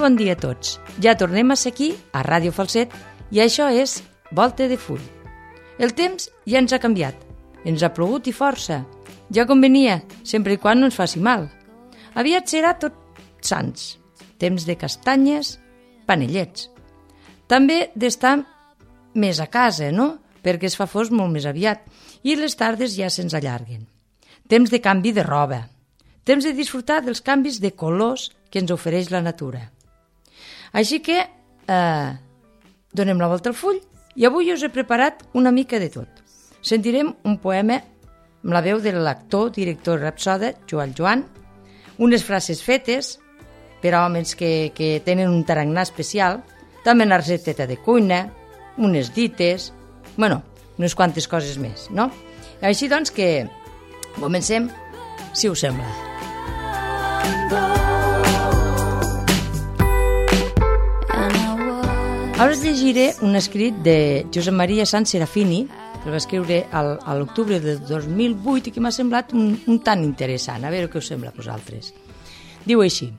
bon dia a tots. Ja tornem a ser aquí, a Ràdio Falset, i això és Volta de Full. El temps ja ens ha canviat. Ens ha plogut i força. Ja convenia, sempre i quan no ens faci mal. Aviat serà Tots Sants. Temps de castanyes, panellets. També d'estar més a casa, no? Perquè es fa fosc molt més aviat i les tardes ja se'ns allarguen. Temps de canvi de roba. Temps de disfrutar dels canvis de colors que ens ofereix la natura. Així que donem la volta al full i avui us he preparat una mica de tot. Sentirem un poema amb la veu de l'actor, director i rapsoda Joan Joan, unes frases fetes per a homes que tenen un tarannà especial, també una recepteta de cuina, unes dites, unes quantes coses més, no? Així doncs que comencem, si us sembla. Ara us llegiré un escrit de Josep Maria Sanz Serafini, que el va escriure a l'octubre del 2008 i que m'ha semblat un tant interessant. A veure què us sembla a vosaltres. Diu així: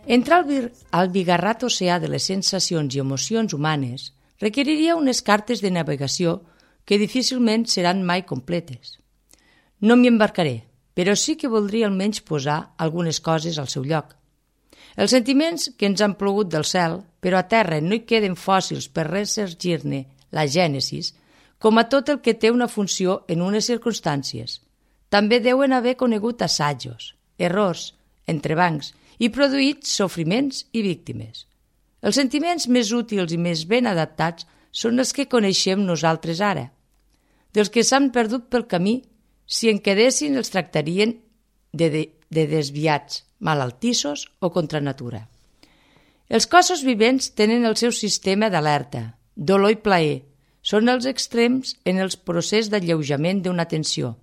entrar al bigarrat oceà de les sensacions i emocions humanes requeriria unes cartes de navegació que difícilment seran mai completes. No m'hi embarcaré, però sí que voldria almenys posar algunes coses al seu lloc. Els sentiments que ens han plogut del cel, però a terra no hi queden fòssils per ressorgir-ne la gènesis, com a tot el que té una funció en unes circumstàncies. També deuen haver conegut assajos, errors, entrebancs i produït sofriments i víctimes. Els sentiments més útils i més ben adaptats són els que coneixem nosaltres ara. Dels que s'han perdut pel camí, si en quedessin els tractarien de desviats, malaltissos o contra natura. Els cossos vivents tenen el seu sistema d'alerta, dolor i plaer. Són els extrems en el procés d'alleujament d'una tensió.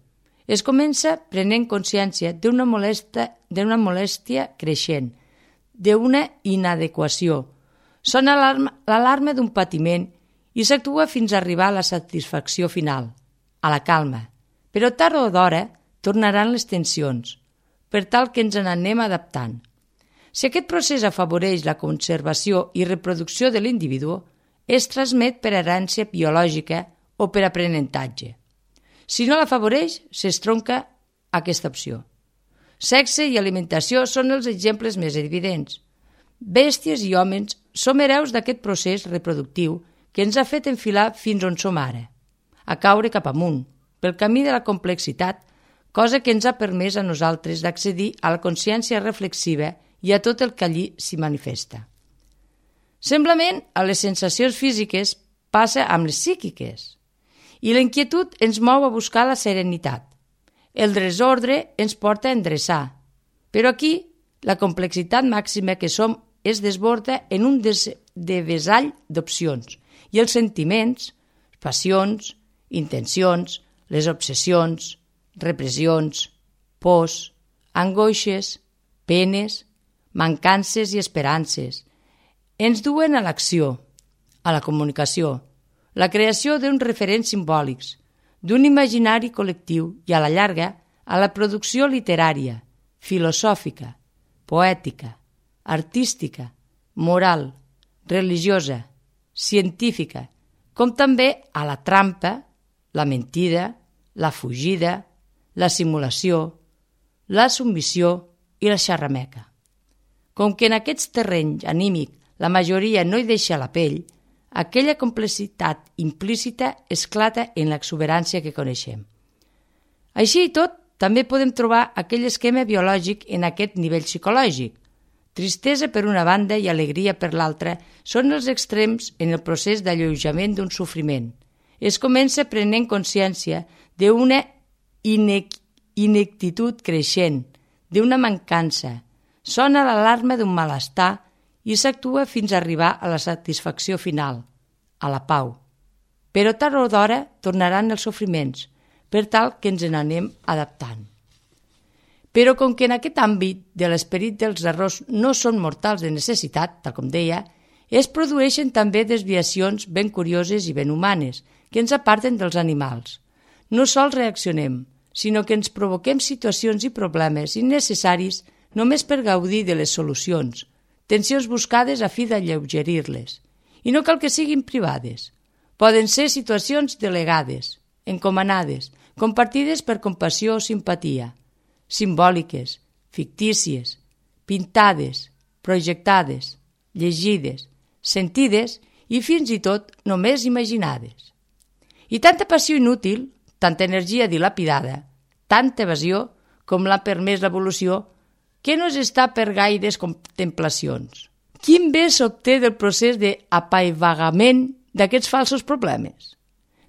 Es comença prenent consciència d'una molèstia creixent, d'una inadequació. Sona l'alarma d'un patiment i s'actua fins a arribar a la satisfacció final, a la calma. Però tard o d'hora tornaran les tensions, per tal que ens n'anem adaptant. Si aquest procés afavoreix la conservació i reproducció de l'individu, es transmet per herència biològica o per aprenentatge. Si no l'afavoreix, s'estronca aquesta opció. Sexe i alimentació són els exemples més evidents. Bèsties i homes som hereus d'aquest procés reproductiu que ens ha fet enfilar fins on som ara, a caure cap amunt, pel camí de la complexitat, cosa que ens ha permès a nosaltres d'accedir a la consciència reflexiva i a tot el que allí s'hi manifesta. Semblament, a les sensacions físiques passa amb les psíquiques i la inquietud ens mou a buscar la serenitat. El desordre ens porta a endreçar, però aquí la complexitat màxima que som es desborda en un devessall d'opcions i els sentiments, passions, intencions, les obsessions, repressions, pors, angoixes, penes, mancances i esperances ens duen a l'acció, a la comunicació, la creació d'uns referents simbòlics, d'un imaginari col·lectiu i, a la llarga, a la producció literària, filosòfica, poètica, artística, moral, religiosa, científica, com també a la trampa, la mentida, la fugida, la simulació, la submissió i la xarrameca. Com que en aquest terreny anímic la majoria no hi deixa la pell, aquella complexitat implícita esclata en l'exuberància que coneixem. Així i tot, també podem trobar aquell esquema biològic en aquest nivell psicològic. Tristesa per una banda i alegria per l'altra són els extrems en el procés d'alleujament d'un sofriment. Es comença prenent consciència d'una ineptitud creixent, d'una mancança. Sona l'alarma d'un malestar i s'actua fins a arribar a la satisfacció final, a la pau. Però tard o d'hora tornaran els sofriments, per tal que ens n'anem adaptant. Però com que en aquest àmbit de l'esperit dels errors no són mortals de necessitat, tal com deia, es produeixen també desviacions ben curioses i ben humanes, que ens aparten dels animals. No sols reaccionem, sinó que ens provoquem situacions i problemes innecessaris només per gaudir de les solucions, tensions buscades a fi d'alleugerir-les. I no cal que siguin privades. Poden ser situacions delegades, encomanades, compartides per compassió o simpatia, simbòliques, fictícies, pintades, projectades, llegides, sentides i fins i tot només imaginades. I tanta passió inútil, tanta energia dilapidada, tanta evasió com l'ha permès l'evolució, que no s'està per gaires contemplacions. Quin bé s'obté del procés d'apaivagament d'aquests falsos problemes?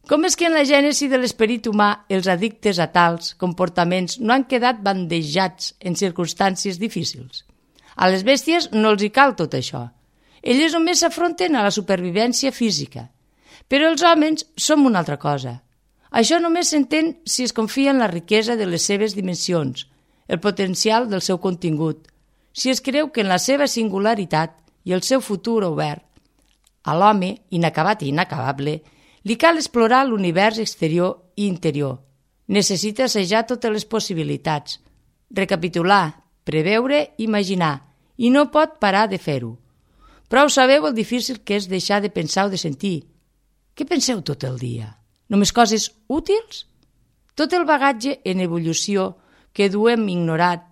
Com és que en la gènesi de l'esperit humà els addictes a tals comportaments no han quedat bandejats en circumstàncies difícils? A les bèsties no els hi cal tot això. Elles només s'afronten a la supervivència física. Però els homes som una altra cosa. Això només s'entén si es confia en la riquesa de les seves dimensions, el potencial del seu contingut, si es creu que en la seva singularitat i el seu futur obert, a l'home, inacabat i inacabable, li cal explorar l'univers exterior i interior. Necessita assajar totes les possibilitats, recapitular, preveure, imaginar, i no pot parar de fer-ho. Prou sabeu el difícil que és deixar de pensar o de sentir. Què penseu tot el dia? Només coses útils? Tot el bagatge en evolució que duem ignorat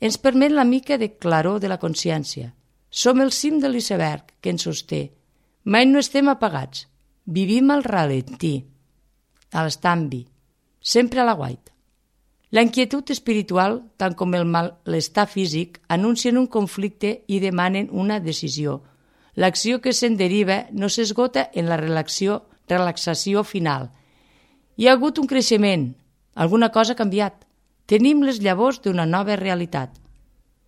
ens permet la mica de claror de la consciència. Som el cim de l'iceberg que ens sosté. Mai no estem apagats. Vivim al ralentí, a l'estambi, sempre a la guaita. La inquietud espiritual, tant com el malestar físic, anuncien un conflicte i demanen una decisió. L'acció que se'n deriva no s'esgota en la relaxació final. Hi ha hagut un creixement, alguna cosa ha canviat. Tenim les llavors d'una nova realitat.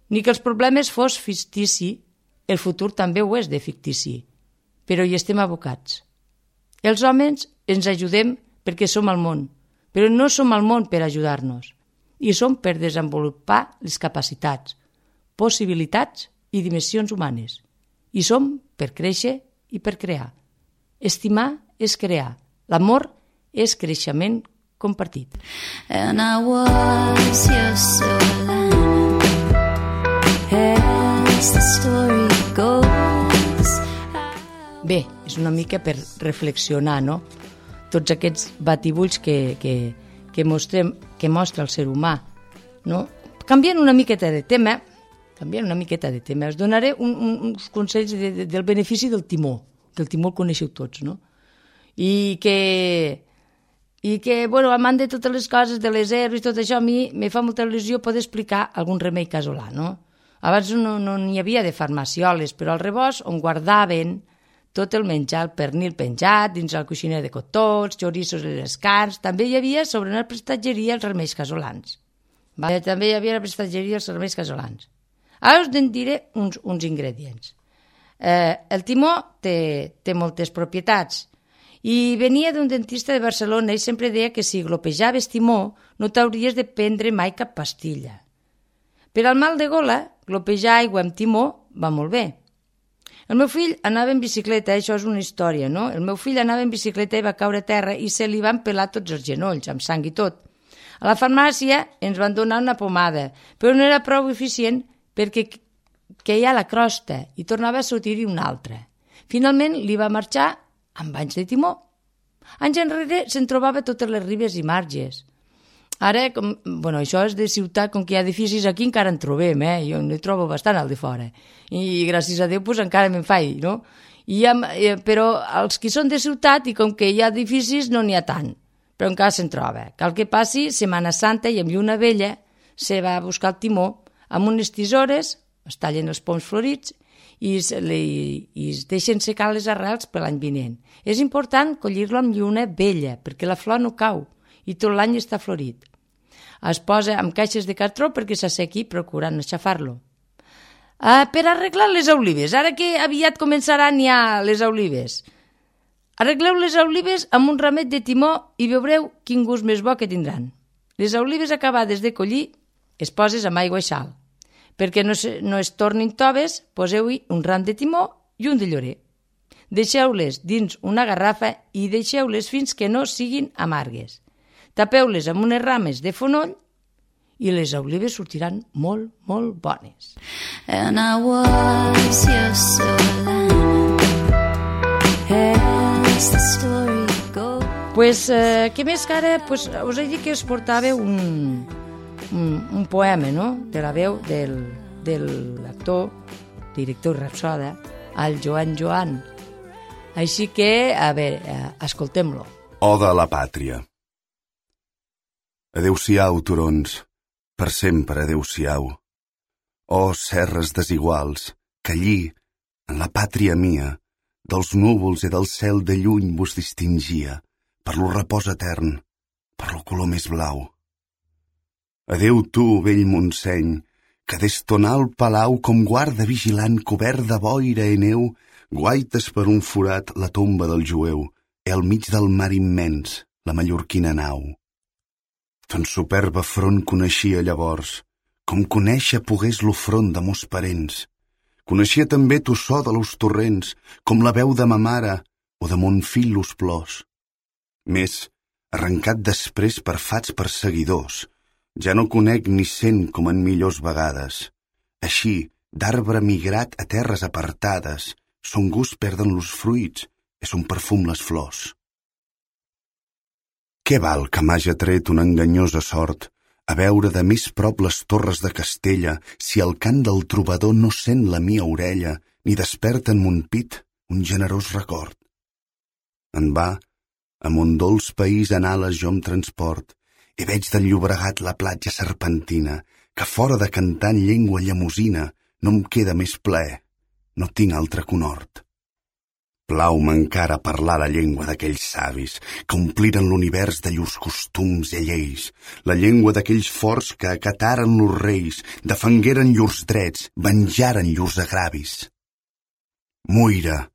Ni que els problemes fos fictici, el futur també ho és de fictici, però hi estem abocats. Els homes ens ajudem perquè som al món, però no som al món per ajudar-nos. I som per desenvolupar les capacitats, possibilitats i dimensions humanes. I som per créixer i per crear. Estimar és crear. L'amor és creixement compartit. And I was your soul, as the story goes. Bé, és una mica per reflexionar, no? Tots aquests batibulls que mostra el ser humà, no? Canviant una miqueta de tema, us donaré uns consells del benefici del timó, que el timó el coneixeu tots, no? I que bueno, amant de totes les coses, de les herbes i tot això, a mi me fa molta il·lusió poder explicar algun remei casolà, no? Abans no n'hi havia de farmacioles, però al rebost on guardaven tot el menjar, el pernil penjat, dins el coixiner de cotons, xoriços i les carns, també hi havia sobre una prestatgeria els remeis casolans. També hi havia la prestatgeria els remeis casolans. Ara us en diré uns ingredients. El timó té moltes propietats i venia d'un dentista de Barcelona i sempre deia que si glopejaves timó no t'hauries de prendre mai cap pastilla. Per al mal de gola, glopejar aigua amb timó va molt bé. El meu fill anava en bicicleta, això és una història, no? El meu fill anava en bicicleta i va caure a terra i se li van pelar tots els genolls, amb sang i tot. A la farmàcia ens van donar una pomada, però no era prou eficient perquè queia la crosta i tornava a sortir-hi una altra. Finalment li va marxar amb banys de timó. Anys enrere se'n trobava totes les ribes i marges. Ara, això és de ciutat, com que hi ha edificis aquí encara en trobem, jo n'hi trobo bastant al de fora. I gràcies a Déu encara me'n faig, no? Però els que són de ciutat i com que hi ha edificis no n'hi ha tant, però encara se'n troba. Cal que passi Setmana Santa i amb lluna vella se va a buscar el timó amb unes tisores, es tallen els poms florits i es deixen secar les arrels per l'any vinent. És important collir-lo amb lluna vella perquè la flor no cau i tot l'any està florit. Es posa amb caixes de cartró perquè s'assequi procurant aixafar-lo. Per arreglar les olives, ara que aviat començaran ja les olives, arregleu les olives amb un ramet de timó i veureu quin gust més bo que tindran. Les olives acabades de collir es poses amb aigua i sal. Perquè no es tornin toves, poseu-hi un ram de timó i un de llorer. Deixeu-les dins una garrafa i deixeu-les fins que no siguin amargues. Tapeu-les amb unes rames de fonoll i les olives sortiran molt, molt bones. And I was your silver lining as the story goes. Pues, què més que ara, pues, us he dit que us portava un poema, no?, de la veu de l'actor, director i rapsoda, el Joan. Així que, a veure, escoltem-lo. Oda a la pàtria. Adéu-siau, turons, per sempre adéu-siau. Oh, serres desiguals, que allí, en la pàtria mia, dels núvols i del cel de lluny vos distingia, per lo repòs etern, per lo color més blau. Adéu tu, vell Montseny, que des ton alt palau com guarda vigilant cobert de boira i neu, guaites per un forat la tomba del jueu i al mig del mar immens la mallorquina nau. Ton superba front coneixia llavors, com conèixer pogués lo front de mos parents. Coneixia també tu so de los torrents, com la veu de ma mare o de mon fill los plors. Més, arrencat després per fats perseguidors, ja no conec ni sent com en millors vegades. Així, d'arbre migrat a terres apartades, son gust perden los fruits i son perfum les flors. Què val que m'haja tret una enganyosa sort a veure de més prop les torres de Castella si el cant del trobador no sent la mia orella ni desperta en mon pit un generós record? En va, a mon dolç país en ales jo em transport i veig del Llobregat la platja serpentina que fora de cantar en llengua llemosina no em queda més plaer, no tinc altre conhort. Plau-me encara parlar la llengua d'aquells savis que ompliren l'univers de llurs costums i lleis, la llengua d'aquells forts que acataren los reis, defengueren llurs drets, venjaren llurs agravis. Muira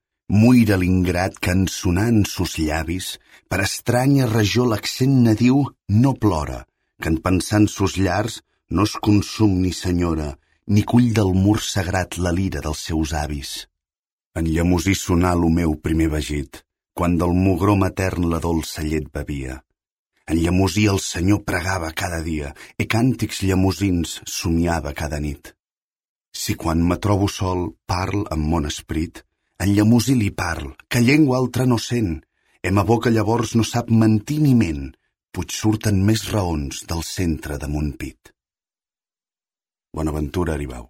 l'ingrat que en sonar en sos llavis, per estranya regió l'accent nadiu no plora, que en pensar en sos llars no es consum ni senyora, ni cull del mur sagrat la lira dels seus avis. En llemosí sonar lo meu primer vagit, quan del mugró matern la dolça llet bevia. En llemosí el Senyor pregava cada dia i càntics llemosins somiava cada nit. Si quan me trobo sol parl amb mon esperit, en llemosí li parl, que llengua altra no sent, i ma boca llavors no sap mentir ni ment, puig surten més raons del centre de mon pit. Bonaventura Aribau.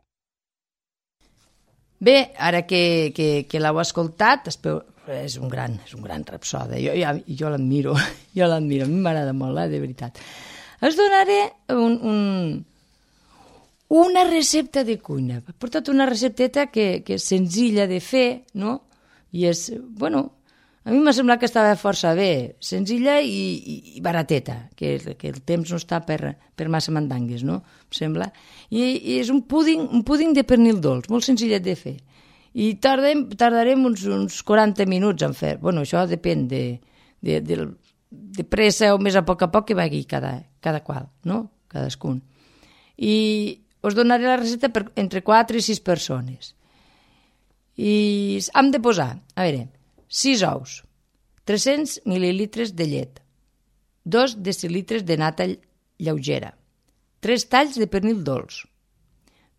Bé, ara que l'heu escoltat, és un gran rapsoda. Jo l'admiro, a mi m'agrada molt, de veritat. Us donaré una recepta de cuina. He portat una recepteta que és senzilla de fer, no? I és, bueno, a mi m'ha semblat que estava força bé, senzilla i barateta, que el temps no està per massa mandangues, no? Em sembla. I és un púding de pernil dolç, molt senzillet de fer. I tardarem uns 40 minuts en fer. Bueno, això depèn de pressa o més a poc que vagi cada qual, no? Cadascun. I us donaré la recepta per entre 4 i 6 persones. I hem de posar, a veure, 6 ous, 300 mil·lilitres de llet, 2 decilitres de nata lleugera, 3 talls de pernil dolç,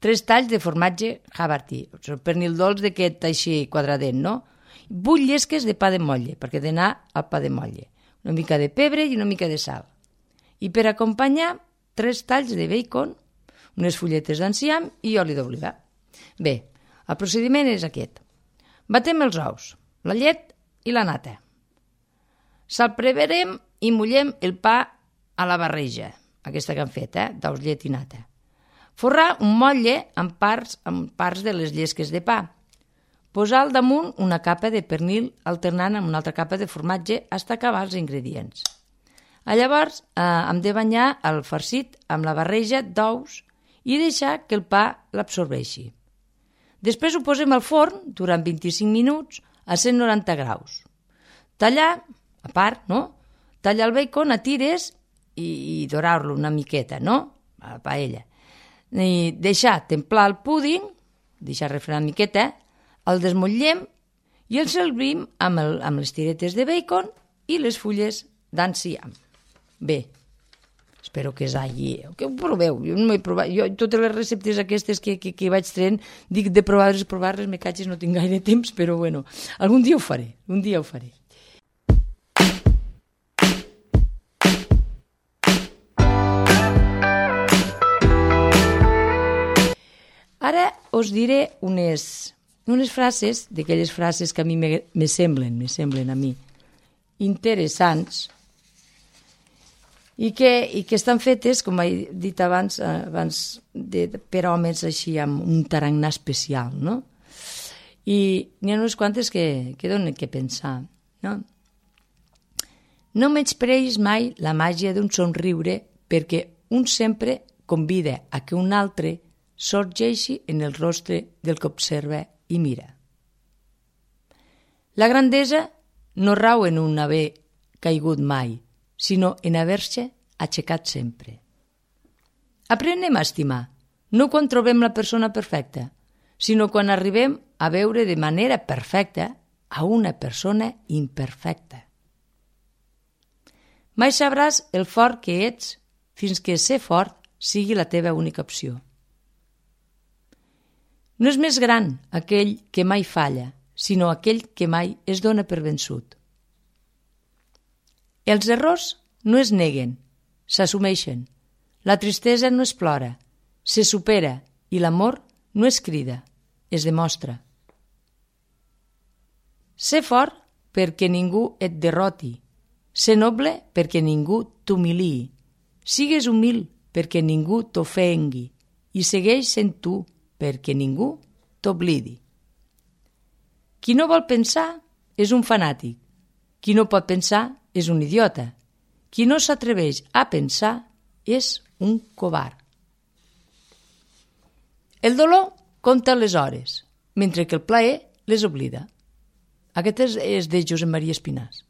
3 talls de formatge Havarti, pernil dolç d'aquest així quadradet, no? 8 llesques de pa de motlle, perquè ha d'anar al pa de motlle, una mica de pebre i una mica de sal. I per acompanyar, 3 talls de bacon, unes fulletes d'enciam i oli d'oliva. Bé, el procediment és aquest. Batem els ous, la llet i la nata. Salpreverem i mullem el pa a la barreja, aquesta que hem fet, d'ous, llet i nata. Forrar un motlle amb parts de les llesques de pa. Posar al damunt una capa de pernil alternant amb una altra capa de formatge fins a acabar els ingredients. Llavors hem de banyar el farcit amb la barreja d'ous i deixar que el pa l'absorbeixi. Després ho posem al forn durant 25 minuts a 190 graus. Tallar, a part, no? Tallar el bacon a tires i dorar-lo una miqueta, no? A la paella. I deixar templar el púding, deixar refredar una miqueta, el desmotllem i el servim amb les tiretes de bacon i les fulles d'enciam. Bé, Espero que és allí. Que ho proveu. Jo no m'he provat. Jo, totes les receptes aquestes que vaig traient, dic de provar-les, me catxes, no tinc gaire temps, però bueno, algun dia ho faré, Ara us diré unes frases, d'aquelles frases que a mi me semblen a mi interessants, i que estan fetes, com he dit abans per homes així amb un tarannà especial, no? I n'hi ha unes quantes que donen que pensar, no? No menyspreis mai la màgia d'un somriure, perquè un sempre convida a que un altre sorgeixi en el rostre del que observa i mira. La grandesa no rau en un haver caigut mai, sinó en haver-se aixecat sempre. Aprenem a estimar, no quan trobem la persona perfecta, sinó quan arribem a veure de manera perfecta a una persona imperfecta. Mai sabràs el fort que ets fins que ser fort sigui la teva única opció. No és més gran aquell que mai falla, sinó aquell que mai es dona per vençut. Els errors no es neguen, s'assumeixen. La tristesa no es plora, se supera, i l'amor no es crida, es demostra. Ser fort perquè ningú et derroti, ser noble perquè ningú t'humiliï, sigues humil perquè ningú t'ofengui i segueix sent tu perquè ningú t'oblidi. Qui no vol pensar és un fanàtic, qui no pot pensar és un idiota, qui no s'atreveix a pensar és un covard. El dolor compta les hores, mentre que el plaer les oblida. Aquest és de Josep Maria Espinàs.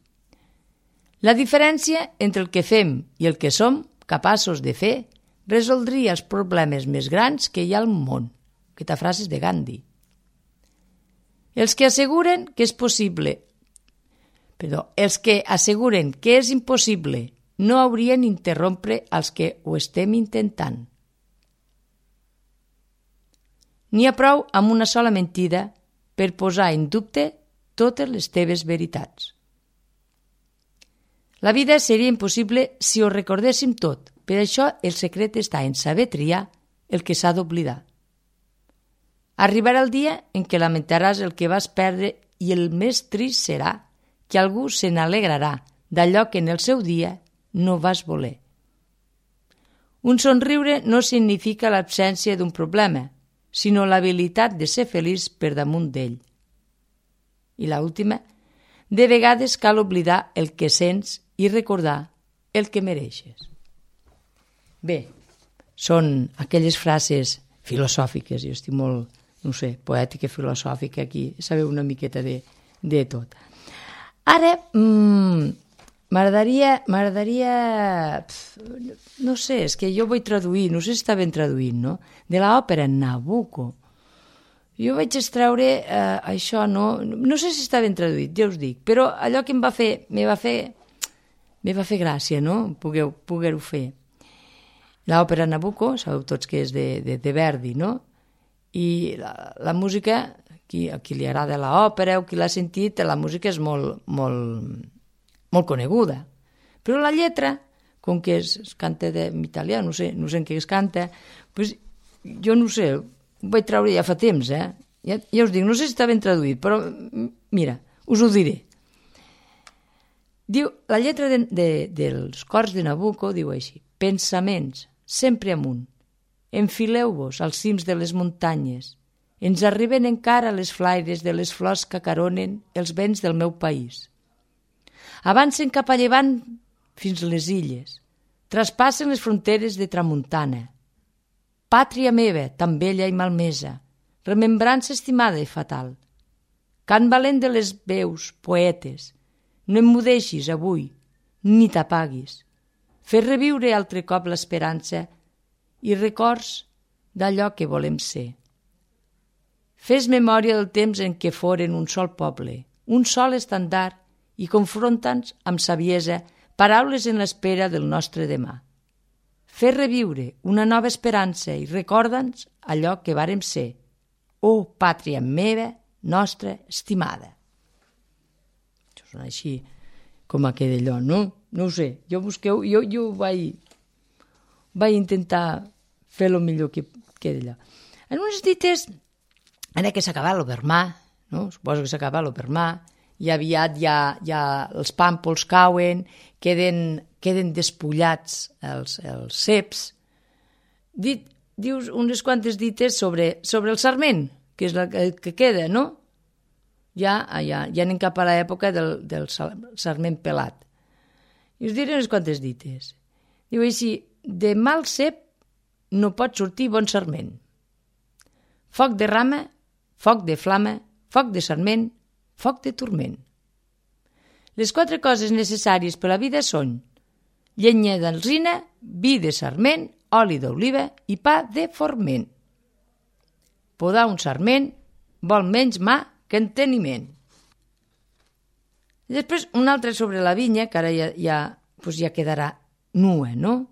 La diferència entre el que fem i el que som capaços de fer resoldria els problemes més grans que hi ha al món. Aquesta frase és de Gandhi. Els que asseguren que és impossible no haurien d'interrompre els que ho estem intentant. N'hi ha prou amb una sola mentida per posar en dubte totes les teves veritats. La vida seria impossible si ho recordéssim tot. Per això el secret està en saber triar el que s'ha d'oblidar. Arribarà el dia en què lamentaràs el que vas perdre i el més trist serà que algú se n'alegrarà d'allò que en el seu dia no vas voler. Un somriure no significa l'absència d'un problema, sinó l'habilitat de ser feliç per damunt d'ell. I l'última, de vegades cal oblidar el que sents i recordar el que mereixes. Bé, són aquelles frases filosòfiques, jo estic molt, poètica, filosòfica, aquí sabeu una miqueta de tot. Ara, m'agradaria, no sé, és que jo vull traduir, no sé si està ben traduït, no? De l'òpera Nabucco. Jo vaig extreure això, no sé si està ben traduït, ja us dic, però allò que me va fer gràcia, no? Poder-ho fer. L'òpera Nabucco, sabeu tots que és de Verdi, no? I la música, a qui li agrada l'òpera o qui l'ha sentit, la música és molt coneguda. Però la lletra, com que es canta en italià, no sé en què es canta, doncs jo no sé, ho vaig treure ja fa temps, ja us dic, no sé si està ben traduït, però mira, us ho diré. Diu, la lletra dels cors de Nabucco diu així: pensaments, sempre amunt, enfileu-vos als cims de les muntanyes, ens arriben encara les flaires de les flors que acaronen els vents del meu país. Avancen cap a llevant fins les illes, traspassen les fronteres de tramuntana. Pàtria meva, tan vella i malmesa, remembrança estimada i fatal. Cant valent de les veus, poetes, no emmudeixis avui, ni t'apaguis. Fes reviure altre cop l'esperança i records d'allò que volem ser. Fes memòria del temps en què foren un sol poble, un sol estandard, i confronta'ns amb saviesa paraules en l'espera del nostre demà. fer reviure una nova esperança i recorda'ns allò que vàrem ser. Oh, pàtria meva, nostra estimada. Això sona així com aquell d'allò, no? No ho sé, jo vaig intentar fer el millor que d'allò. En unes dites, ara que s'acaba l'Obermà, no? Suposo que s'acaba l'Obermà, i aviat ja els pàmpols cauen, queden despullats els ceps. Dius unes quantes dites sobre el sarment, que és el que queda, no? Ja anem cap a l'època del sarment pelat. I us diré unes quantes dites. Diu així, de mal cep no pot sortir bon sarment. Foc de rama, foc de flama, foc de sarment, foc de turment. Les 4 coses necessàries per a la vida són llenya d'alzina, vi de sarment, oli d'oliva i pa de forment. Podar un sarment vol menys mà que enteniment. I després un altre sobre la vinya, que ara ja quedarà nua, no?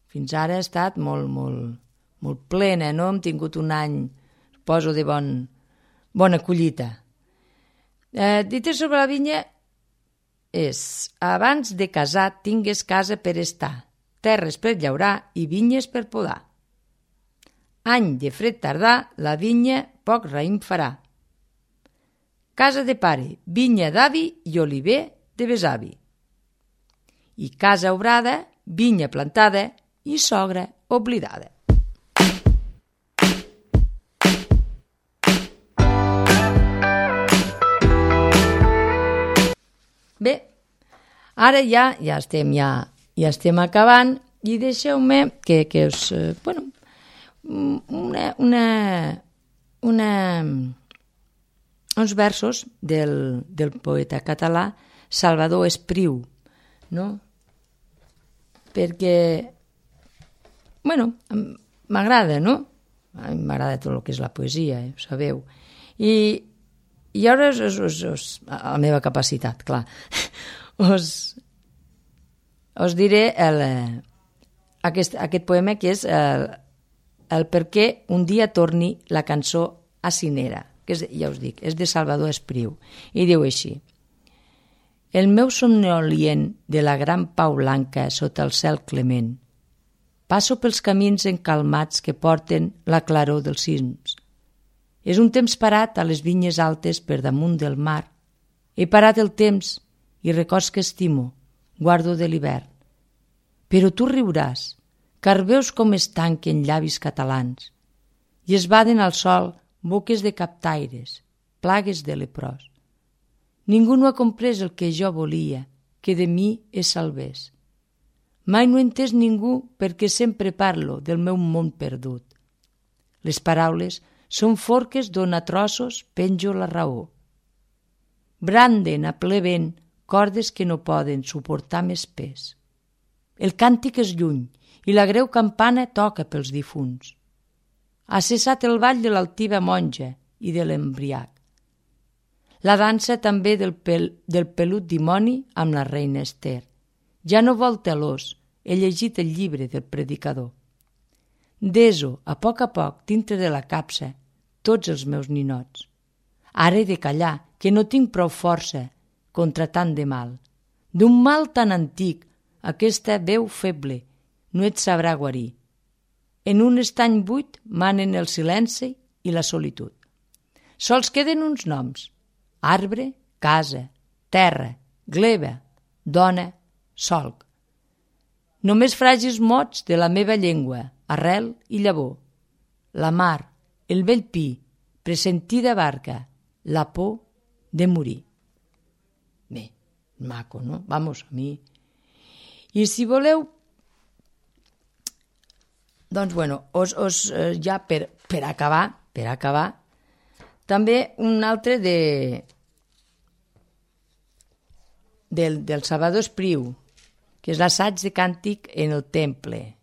Fins ara ha estat molt plena, no? Hem tingut un any, suposo, de bona collita. Dit sobre la vinya és: abans de casar tingues casa per estar, terres per llaurar i vinyes per podar. Any de fred tardà, la vinya poc raïm farà. Casa de pare, vinya d'avi i oliver de besavi. I casa obrada, vinya plantada i sogra oblidada. Bé, ara ja estem acabant i deixeu-me que us... uns versos del poeta català Salvador Espriu, no? Perquè, m'agrada, no? A mi m'agrada tot el que és la poesia, ho sabeu. I ara, a la meva capacitat, clar, us diré aquest poema, que és el per què un dia torni la cançó acinera, que és, ja us dic, és de Salvador Espriu, i diu així: el meu somnolient de la gran pau blanca sota el cel clement, passo pels camins encalmats que porten la claror dels cims. És un temps parat a les vinyes altes per damunt del mar. He parat el temps i records que estimo, guardo de l'hivern. Però tu riuràs, car veus com es tanquen llavis catalans i es baden al sol boques de captaires, plagues de leprós. Ningú no ha comprès el que jo volia, que de mi es salvés. Mai no he entès ningú perquè sempre parlo del meu món perdut. Les paraules són forques d'on a trossos penjo la raó. Branden a ple vent cordes que no poden suportar més pes. El càntic és lluny i la greu campana toca pels difunts. Ha cessat el ball de l'altiva monja i de l'embriac. La dansa també del pelut dimoni amb la reina Ester. Ja no vol telós, he llegit el llibre del predicador. Deso, a poc, dintre de la capsa, tots els meus ninots. Ara he de callar, que no tinc prou força contra tant de mal. D'un mal tan antic, aquesta veu feble no et sabrà guarir. En un estany buit manen el silenci i la solitud. Sols queden uns noms: arbre, casa, terra, gleba, dona, solc. Només fràgils mots de la meva llengua, arrel i llavor. La mar, el vell pi, pressentida barca, la por de morir. Bé, maco, no? Vamos, a mi... I si voleu, doncs, ja per acabar, també un altre del Salvador Espriu, que és l'assaig de càntic en el temple.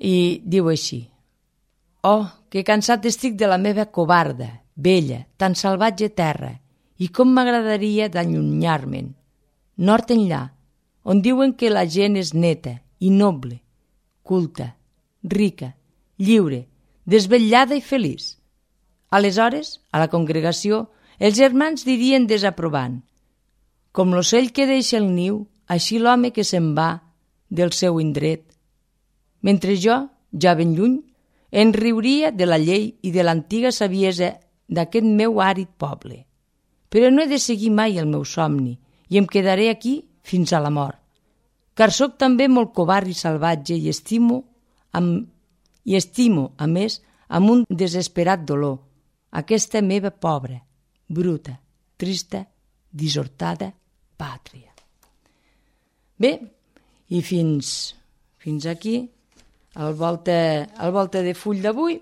I diu així: oh, que cansat estic de la meva covarda, vella, tan salvatge terra, i com m'agradaria d'allunyar-me'n, nord enllà, on diuen que la gent és neta i noble, culta, rica, lliure, desvetllada i feliç. Aleshores, a la congregació, els germans dirien desaprovant: com l'ocell que deixa el niu, així l'home que se'n va del seu indret. Mentre jo, ja ben lluny, en riuria de la llei i de l'antiga saviesa d'aquest meu àrid poble. Però no he de seguir mai el meu somni i em quedaré aquí fins a la mort, car sóc també molt covard i salvatge i estimo, a més, amb un desesperat dolor, aquesta meva pobra, bruta, trista, dissortada pàtria. Bé, i fins aquí el volta de full d'avui,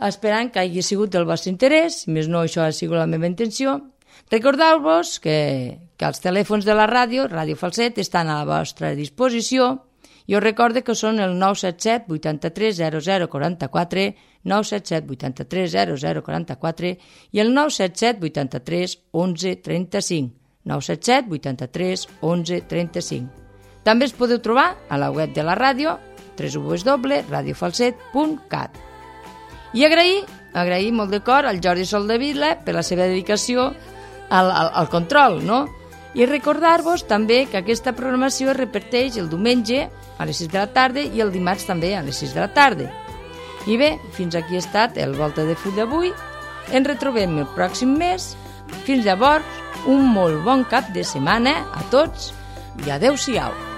esperant que hagi sigut del vostre interès, si més no això ha sigut la meva intenció. Recordeu-vos que els telèfons de la ràdio, Ràdio Falset, estan a la vostra disposició. Jo recordo que són el 977 83 0044, 977 83 0044 i el 977 83 11 35, 977 83 11 35. També es podeu trobar a la web de la ràdio, www.radiofalset.cat. I agrair molt de cor al Jordi Soldevila per la seva dedicació al control, no? I recordar-vos també que aquesta programació es repeteix el diumenge a les 6 de la tarda i el dimarts també a les 6 de la tarda. I bé, fins aquí ha estat el Volta de Full d'avui. Ens retrobem el pròxim mes. Fins llavors, un molt bon cap de setmana a tots i adeu-siau.